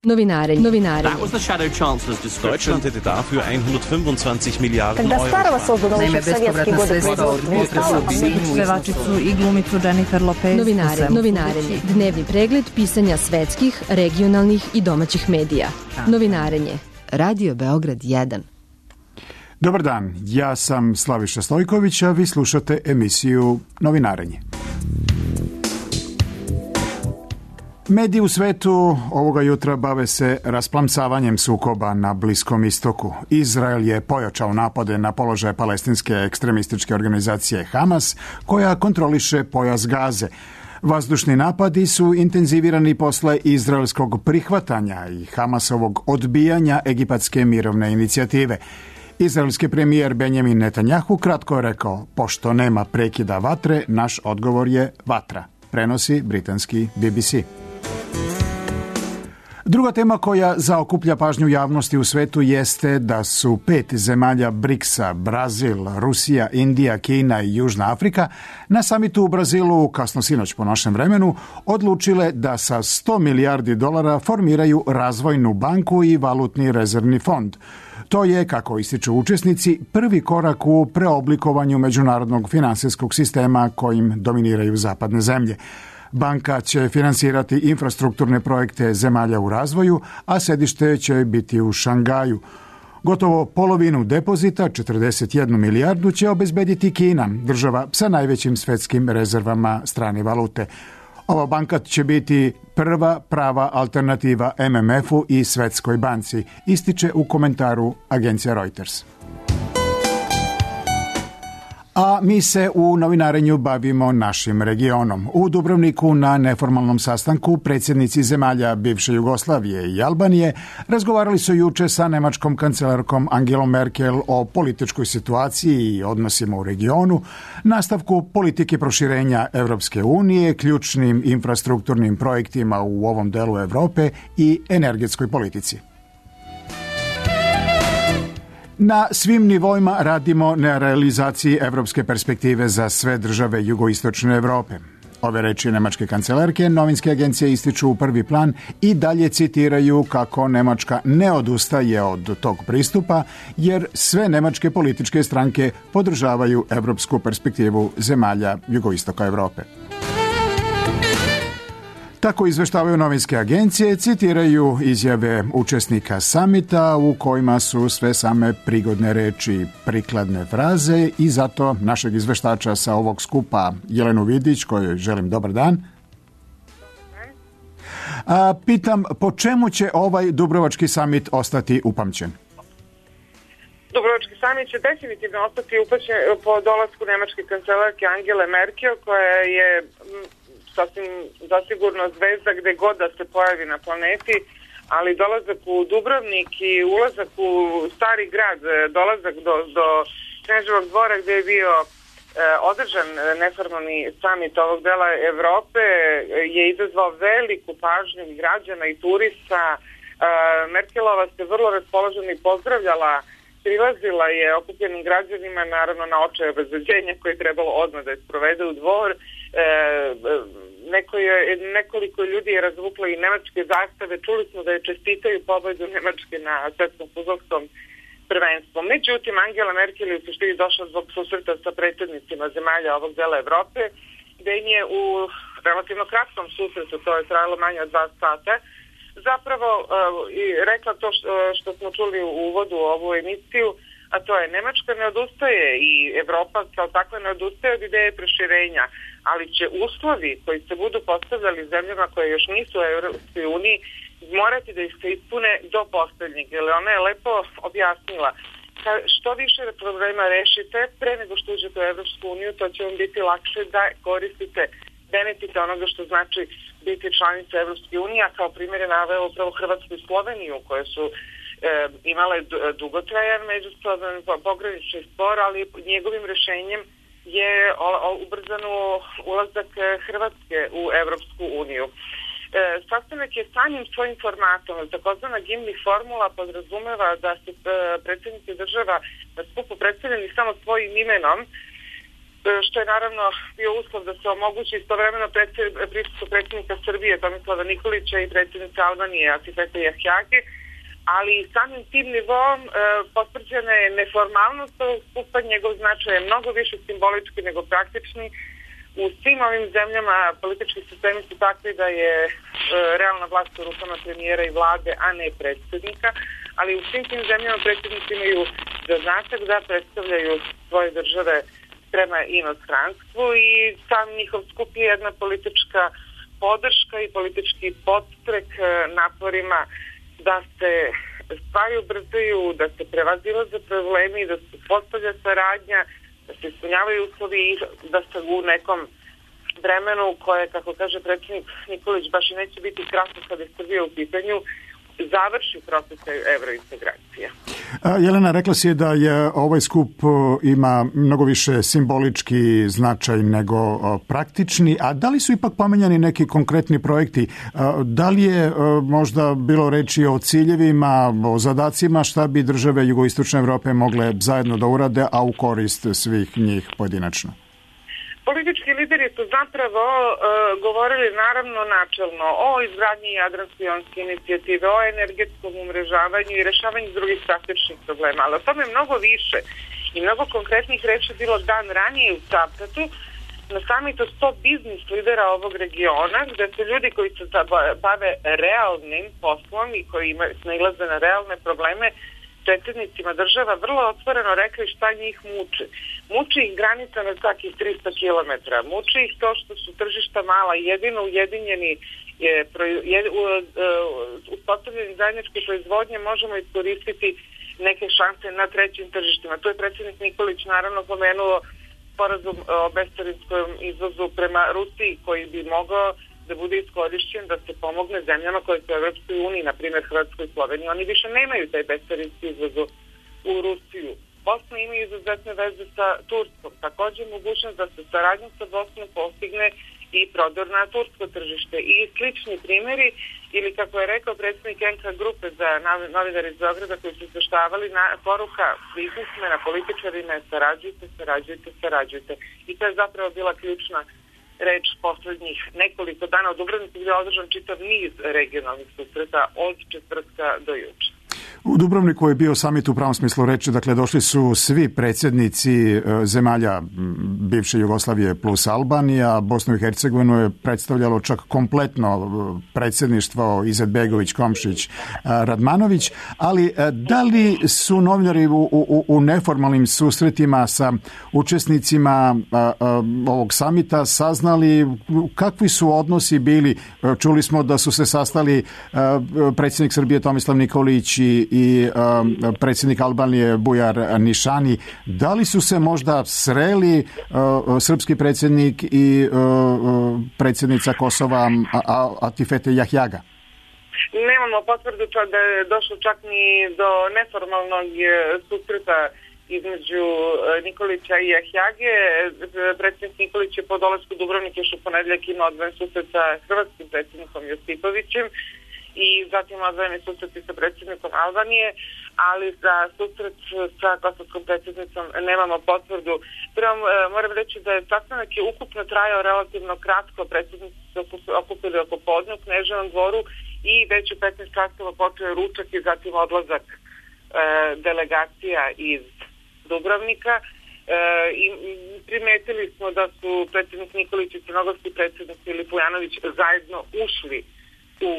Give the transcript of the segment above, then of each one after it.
Novinarenje. That was the Shadow Chancellor's description. Deutschland hätte dafür 125 Milijarden Когда Euro. старого создано еще в советские годы производства, Pevačicu i glumicu Jennifer Lopez. Novinarenje. Dnevni pregled pisanja svetskih, regionalnih i domaćih medija. Novinarenje. Radio Beograd 1. Dobar dan, ja sam Slaviša Stojković, a vi slušate emisiju Novinarenje. Mediji u svetu ovoga jutra bave se rasplamsavanjem sukoba na Bliskom istoku. Izrael je pojačao napade na položaje palestinske ekstremističke organizacije Hamas, koja kontroliše pojas Gaze. Vazdušni napadi su intenzivirani posle izraelskog prihvatanja i Hamasovog odbijanja egipatske mirovne inicijative. Izraelski premijer Benjamin Netanjahu kratko je rekao: pošto nema prekida vatre, naš odgovor je vatra. Prenosi britanski BBC. Druga tema koja zaokuplja pažnju javnosti u svetu jeste da su 5 zemalja BRICS-a, Brazil, Rusija, Indija, Kina i Južna Afrika, na samitu u Brazilu, kasno sinoć po našem vremenu, odlučile da sa $100 milijardi formiraju razvojnu banku i valutni rezervni fond. To je, kako ističu učesnici, prvi korak u preoblikovanju međunarodnog finansijskog sistema kojim dominiraju zapadne zemlje. Banka će finansirati infrastrukturne projekte zemalja u razvoju, a sedište će biti u Šangaju. Gotovo polovinu depozita, 41 milijardu, će obezbediti Kina, država sa najvećim svetskim rezervama strane valute. Ova banka će biti prva prava alternativa MMF-u i Svetskoj banci, ističe u komentaru agencija Reuters. A mi se u novinarenju bavimo našim regionom. U Dubrovniku na neformalnom sastanku predsjednici zemalja bivše Jugoslavije i Albanije razgovarali su juče sa nemačkom kancelarkom Angelom Merkel o političkoj situaciji i odnosima u regionu, nastavku politike proširenja Evropske unije, ključnim infrastrukturnim projektima u ovom delu Evrope i energetskoj politici. Na svim nivoima radimo na realizaciji evropske perspektive za sve države jugoistočne Evrope. Ove reči nemačke kancelarke novinske agencije ističu u prvi plan i dalje citiraju kako Nemačka ne odustaje od tog pristupa, jer sve nemačke političke stranke podržavaju evropsku perspektivu zemalja jugoistoka Evrope. Tako izveštavaju novinske agencije, citiraju izjave učesnika samita u kojima su sve same prigodne reči, prikladne fraze i zato našeg izveštača sa ovog skupa Jelenu Vidić, kojoj želim dobar dan. Pitam, po čemu će ovaj Dubrovački samit ostati upamćen? Dubrovački samit će definitivno ostati upamćen po dolasku nemačke kancelarke Angele Merkel, koja je sasvim zasigurno zvezda gde god da se pojavi na planeti, ali dolazak u Dubrovnik i ulazak u stari grad, dolazak do Kneževog dvora gde je bio održan neformalni samit ovog dela Evrope je izazvao veliku pažnju građana i turista. Merkelova se vrlo raspoložena i pozdravljala, prilazila je okupljenim građanima, naravno na očaj obezbeđenja koje je trebalo odmah da je sprovede u dvor. Nekoliko ljudi je razvuklo i nemačke zastave. Čuli smo da je čestitaju pobedu Nemačke na svetskom fudbalskom prvenstvu. Međutim, Angela Merkel je u suštini došla zbog susreta sa predsjednicima zemalja ovog dela Evrope, gde im je u relativno kratkom susretu, to je trajalo manje od 2 sata, zapravo rekla to što smo čuli u uvodu u ovu emisiju, a to je Nemačka ne odustaje i Evropa kao takva ne odustaje od ideje proširenja, ali će uslovi koji se budu postavljali zemljama koje još nisu u Europskoj uniji morati da ih se ispune do poslednjeg, jer ona je lepo objasnila. Što više problema rešite pre nego što uđete u Europsku uniju, to će vam biti lakše da koristite benefite onoga što znači biti članica Evropske unije, a kao primjer je naveo upravo Hrvatsku i Sloveniju, koje su imale dugotrajan međusoban pogranični spor, ali njegovim rešenjem je ubrzan ulazak Hrvatske u Evropsku uniju. Sastanak je samim svojim formatom, takozvana Gimli formula podrazumeva da su predsjednici država na skupu predstavljeni samo svojim imenom što je naravno bio uslov da se omogući istovremeno prisustvo predsjednika Srbije Tomislava Nikolića i predsjednice Albanije Atifete Jahjage, ali samim tim nivom potvrđena je neformalnost ovog skupa, njegov značaj je mnogo više simbolički nego praktični. U svim ovim zemljama politički sistemi su takvi da je realna vlast u rukama premijera i vlade, a ne predsjednika, ali u svim tim zemljama predsjednici imaju zadatak da predstavljaju svoje države prema inostranstvu i sam njihov skup je jedna politička podrška i politički podstrek naporima da se stvari ubrzaju, da se prevazilaze problemi, da se postavlja saradnja, da se ispunjavaju uslovi i da se u nekom vremenu koje, kako kaže predsjednik Nikolić, baš i neće biti kratko kada je Srbija u pitanju, završi proces evrointegracija. Jelena, rekla si da je ovaj skup ima mnogo više simbolički značaj nego praktični, a da li su ipak pomenjani neki konkretni projekti? Da li je možda bilo reči o ciljevima, o zadacima, šta bi države jugoistočne Evrope mogle zajedno da urade, a u korist svih njih pojedinačno? Politički lideri su zapravo govorili naravno načelno o izgradnji Jadransko-jonske inicijative, o energetskom umrežavanju i rešavanju drugih praktičnih problema, ali o tome mnogo više i mnogo konkretnih reči bilo dan ranije u Cavtatu na samitu 100 biznis lidera ovog regiona, gde su ljudi koji se bave realnim poslom i koji nailaze na realne probleme predsjednicima država vrlo otvoreno rekli šta njih muči. Muči ih granica na takih 300 km. Muči ih to što su tržišta mala. Jedino ujedinjeni uspostavljeni zajedničke proizvodnje možemo iskoristiti neke šanse na trećim tržištima. Tu je predsjednik Nikolić naravno pomenuo sporazum o bescarinskom izvozu prema Rusiji koji bi mogao da bude iskorišćen da se pomogne zemljama koje su u Evropskoj uniji, na primjer Hrvatskoj i Sloveniji. Oni više nemaju taj bescarinski izvoz u Rusiju. Bosna ima izuzetne veze sa Turskom. Također mogućnost da se saradnjom sa Bosnom postigne i prodor na tursko tržište. I slični primjeri, ili kako je rekao predsjednik NK grupe za novinare iz Beograda koji su izveštavali na poruka biznismena, političarima je sarađujte. I to je zapravo bila ključna reč poslednjih nekoliko dana u Dubrovniku gdje je održan čitav niz regionalnih susreta od četvrtka do juče. U Dubrovniku je bio samit u pravom smislu reči, dakle došli su svi predsjednici zemalja bivše Jugoslavije plus Albanija, Bosnu i Hercegovinu je predstavljalo čak kompletno predsjedništvo Izetbegović, Komšić, Radmanović, ali da li su novinari u neformalnim susretima sa učesnicima ovog samita saznali kakvi su odnosi bili? Čuli smo da su se sastali predsjednik Srbije Tomislav Nikolić i predsjednik Albanije Bujar Nišani. Da li su se možda sreli srpski predsjednik i predsjednica Kosova Atifete Jahjaga? Nemamo potvrdu da je došlo čak ni do neformalnog susreta između Nikolića i Jahjage. Predsjednik Nikolić je po dolasku Dubrovnik još u ponedjeljak imao odvojen susret sa hrvatskim predsjednikom Josipovićem i zatim odvojeni susreti sa predsjednikom Albanije, ali za susret sa kosovskom predsjednicom nemamo potvrdu. Prvo moram reći da je sastanak je ukupno trajao relativno kratko, predsjednici se okupili oko podne u Kneževom dvoru i već u 15 časova počeo ručak i zatim odlazak delegacija iz Dubrovnika. I primetili smo da su predsjednik Nikolić i crnogorski predsjednik Filip Vujanović zajedno ušli u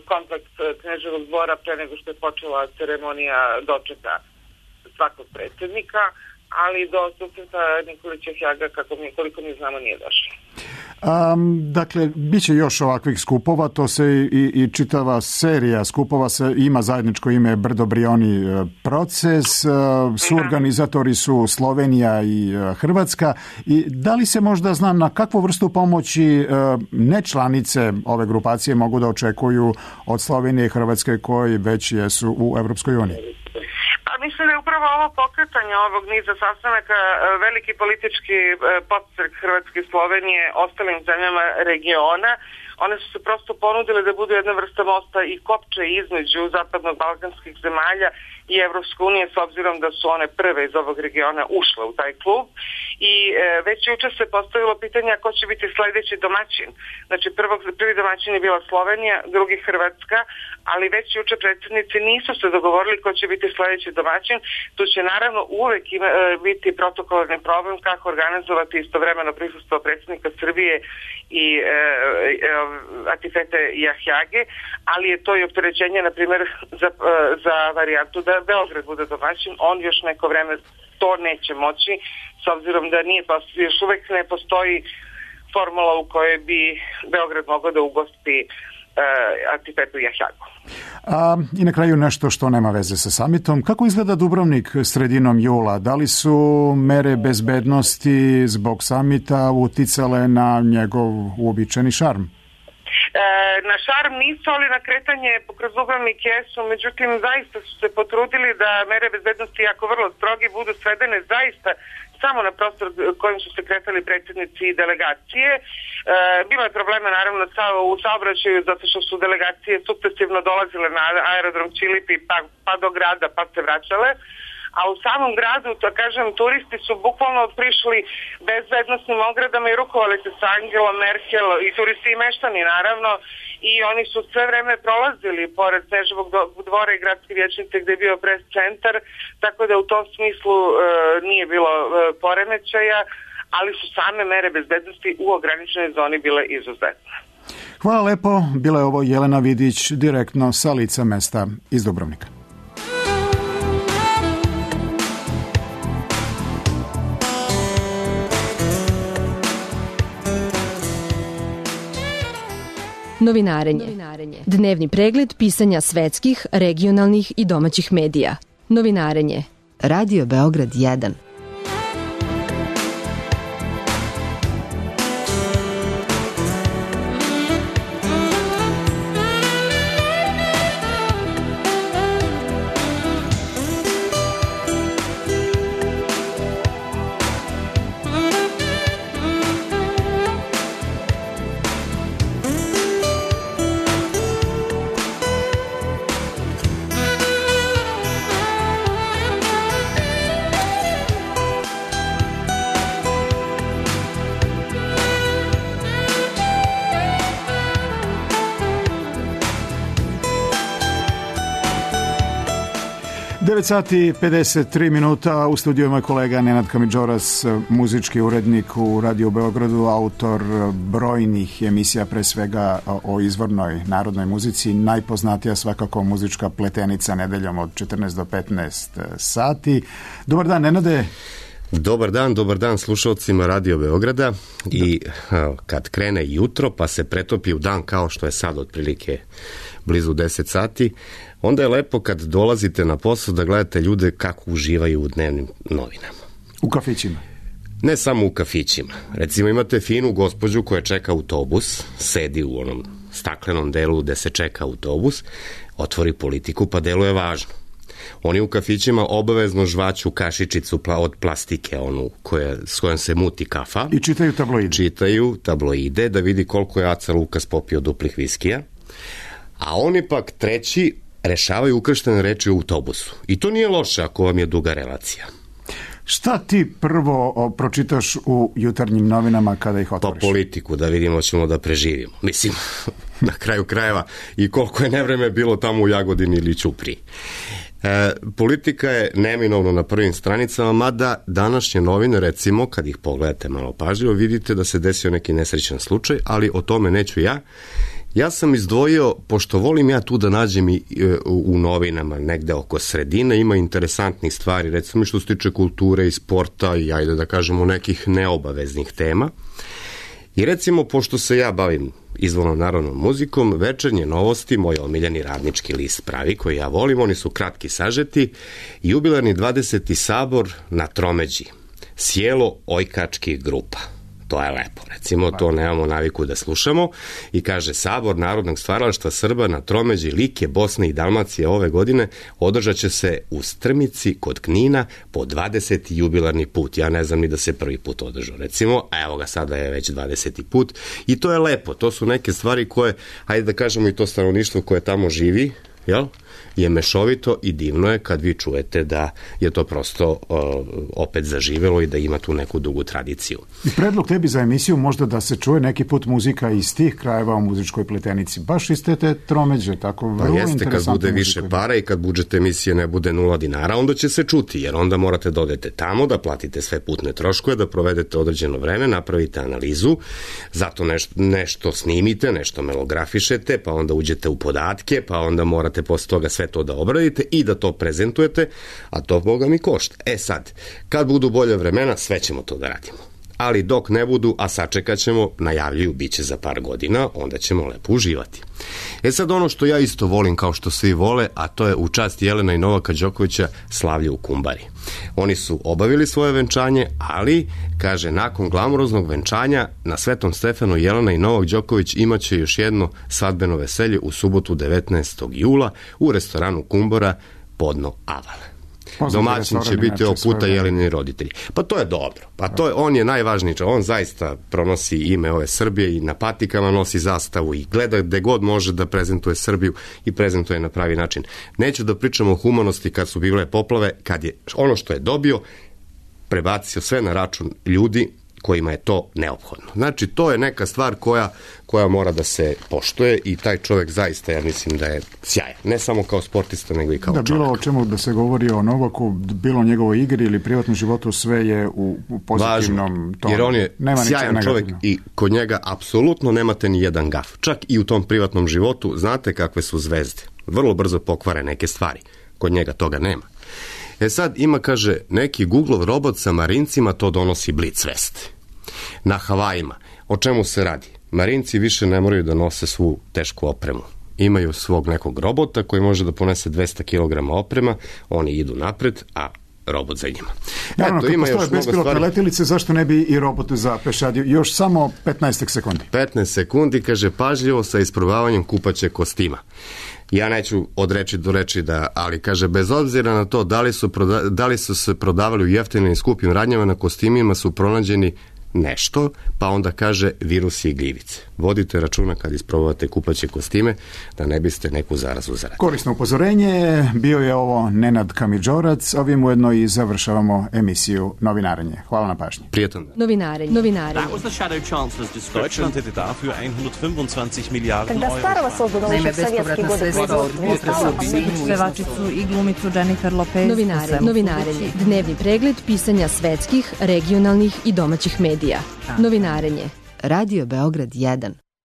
kompleks Kneževog dvora pre nego što je počela ceremonija dočeka svakog predsjednika, ali do susreta Nikolića Jahjaga, koliko mi znamo, nije došlo. Dakle, bit će još ovakvih skupova, to se i čitava serija skupova ima zajedničko ime Brdo Brioni proces, suorganizatori su Slovenija i Hrvatska. I da li se možda zna na kakvu vrstu pomoći nečlanice ove grupacije mogu da očekuju od Slovenije i Hrvatske koji već jesu u Evropskoj uniji? Mislim da je upravo ovo pokretanje ovog niza sastanaka veliki politički podstrek Hrvatske i Slovenije ostalim zemljama regiona. One su se prosto ponudile da budu jedna vrsta mosta i kopče između zapadno-balkanskih zemalja i Evropske unije, s obzirom da su one prve iz ovog regiona ušle u taj klub. I već juče se postavilo pitanje ko će biti sledeći domaćin. Znači prvi domaćin je bila Slovenija, drugi Hrvatska, ali već juče predsjednici nisu se dogovorili ko će biti sledeći domaćin. Tu će naravno uvek biti protokolarni problem kako organizovati istovremeno prisustvo predsjednika Srbije i Atifete Jahjage, ali je to i opterećenje, na primjer, za varijantu da Beograd bude domaćin. On još neko vreme to neće moći, s obzirom da još uvek ne postoji formula u kojoj bi Beograd mogao da ugosti Atifetu Jahjagu. I na kraju nešto što nema veze sa samitom. Kako izgleda Dubrovnik sredinom jula? Da li su mere bezbednosti zbog samita uticale na njegov uobičajeni šarm? Na šarm nisu, ali na kretanje kroz Dubrovnik jesu, međutim zaista su se potrudili da mere bezbednosti, jako vrlo strogi, budu svedene zaista samo na prostor kojim su se kretali predsjednici i delegacije. Bilo je problema naravno u saobraćaju zato što su delegacije sukcesivno dolazile na aerodrom Čilipi pa do grada pa se vraćale. A u samom gradu, to kažem, turisti su bukvalno prišli bezbednosnim ogradama i rukovali se sa Angelom Merkel i turisti i meštani naravno, i oni su sve vreme prolazili pored Sneževog dvora i gradske vijećnice gde je bio pres centar, tako da u tom smislu nije bilo poremećaja, ali su same mere bezbednosti u ograničenoj zoni bile izuzetne. Hvala lepo, bila je ovo Jelena Vidić direktno sa lica mesta iz Dubrovnika. Novinarenje. Dnevni pregled pisanja svetskih, regionalnih i domaćih medija. Novinarenje. Radio Beograd 1. Sati 53 minuta, u studiju je moj kolega Nenad Kamidžoras, muzički urednik u Radio Beogradu, autor brojnih emisija, pre svega o izvornoj narodnoj muzici, najpoznatija svakako muzička pletenica nedeljom od 14 do 15 sati. Dobar dan, Nenade. Dobar dan slušalcima Radio Beograda. I kad krene jutro pa se pretopi u dan kao što je sad otprilike blizu 10 sati, onda je lepo kad dolazite na posao da gledate ljude kako uživaju u dnevnim novinama. U kafićima? Ne samo u kafićima. Recimo imate finu gospođu koja čeka autobus, sedi u onom staklenom delu gde se čeka autobus, otvori Politiku pa deluje važno. Oni u kafićima obavezno žvaću kašičicu od plastike, onu s kojom se muti kafa. I čitaju tabloide. Čitaju tabloide da vidi koliko je Aca Lukas popio duplih viskija. A oni pak treći rešavaju ukrštene reči u autobusu. I to nije loše ako vam je duga relacija. Šta ti prvo pročitaš u jutarnjim novinama kada ih otvoriš? Pa Politiku, da vidimo ćemo da preživimo. Mislim, na kraju krajeva i koliko je nevreme bilo tamo u Jagodini ili Ćupriji. Politika je neminovno na prvim stranicama, mada današnje novine, recimo, kad ih pogledate malo pažljivo, vidite da se desio neki nesrećan slučaj, ali o tome neću ja. Ja sam izdvojio, pošto volim ja tu da nađem i u novinama negde oko sredine, ima interesantnih stvari, recimo što se tiče kulture i sporta i ajde da kažemo nekih neobaveznih tema. I recimo, pošto se ja bavim izvornom narodnom muzikom, Večernje novosti, moj omiljeni radnički list pravi, koji ja volim, oni su kratki sažeti, jubilarni 20. sabor na Tromeđi, sjelo ojkačkih grupa. To je lepo, recimo, to nemamo naviku da slušamo. I kaže, Sabor narodnog stvaralaštva Srba na Tromeđi, Like, Bosne i Dalmacije ove godine održat će se u Strmici kod Knina po 20. jubilarni put. Ja ne znam ni da se prvi put održao, recimo, a evo ga, sada je već 20. put. I to je lepo, to su neke stvari koje, hajde da kažemo i to stanovništvo koje tamo živi, jel? Je mešovito i divno je kad vi čujete da je to prosto opet zaživelo i da ima tu neku dugu tradiciju. I predlog tebi za emisiju možda da se čuje neki put muzika iz tih krajeva u muzičkoj pletenici, baš iz te tromeđe, tako vrlo interesantno. Jeste, kad bude više para i kad budžet emisije ne bude 0 dinara, onda će se čuti, jer onda morate da odete tamo, da platite sve putne troškove, da provedete određeno vreme, napravite analizu, zato nešto snimite, nešto melografišete, pa onda uđete u podatke, pa onda morate posle toga sve to da obradite i da to prezentujete, a to Boga mi košta. Sad, kad budu bolje vremena, sve ćemo to da radimo. Ali dok ne budu, a sačekat ćemo, najavljuju, bit će za par godina, onda ćemo lepo uživati. Sad ono što ja isto volim kao što svi vole, a to je u čast Jelena i Novaka Đokovića slavlje u Kumbari. Oni su obavili svoje venčanje, ali, kaže, nakon glamuroznog venčanja na Svetom Stefanu Jelena i Novak Đoković imaće još jedno svadbeno veselje u subotu 19. jula u restoranu Kumbara Podno Aval. Domaćin će biti ovog puta Jelenini roditelji. Pa to je dobro. On je najvažniji. On zaista pronosi ime ove Srbije i na patikama nosi zastavu i gleda gde god može da prezentuje Srbiju i prezentuje na pravi način. Neću da pričam o humanosti kad su bile poplave, kad je ono što je dobio prebacio sve na račun ljudi kojima je to neophodno. Znači, to je neka stvar koja mora da se poštuje i taj čovjek zaista, ja mislim da je sjajan. Ne samo kao sportista, nego i kao čovjek. Bilo o čemu da se govori o Novaku, bilo o njegovoj igri ili privatnom životu, sve je u pozitivnom tonu. Jer on je sjajan čovjek i kod njega apsolutno nemate ni jedan gaf. Čak i u tom privatnom životu znate kakve su zvezde. Vrlo brzo pokvare neke stvari. Kod njega toga nema. Sad ima, kaže, neki Googlov robot sa Marincima, to donosi blic vest. Na Havajima. O čemu se radi? Marinci više ne moraju da nose svu tešku opremu. Imaju svog nekog robota koji može da ponese 200 kg oprema, oni idu napred, a robot za njima. Naravno, kad postoje bespilotne letilice, zašto ne bi i robot za pešadiju? Još samo 15 sekundi. 15 sekundi, kaže, pažljivo sa isprobavanjem kupaće kostima. Ja neću od reči do reči ali kaže, bez obzira na to da li su se prodavali u jeftinim i skupim radnjama, na kostimima su pronađeni nešto, pa onda kaže virusi i gljivice. Vodite računa kad isprobavate kupaće kostime, da ne biste neku zarazu zaradili. Korisno upozorenje, bio je ovo Nenad Kamidžorac, ovim ujedno i završavamo emisiju Novinarenje. Hvala na pažnji. Prijetan. Novinarenje. That was the Shadow Chancellor's description. Deutschland hätte dafür 125 Milliarden Euro. Naime, bespovratna sredstva od Pevačicu i glumicu Jennifer Lopez. Novinarenje. Dnevni pregled pisanja svetskih, regionalnih i domaćih medija. Novinarenje. Radio Beograd 1.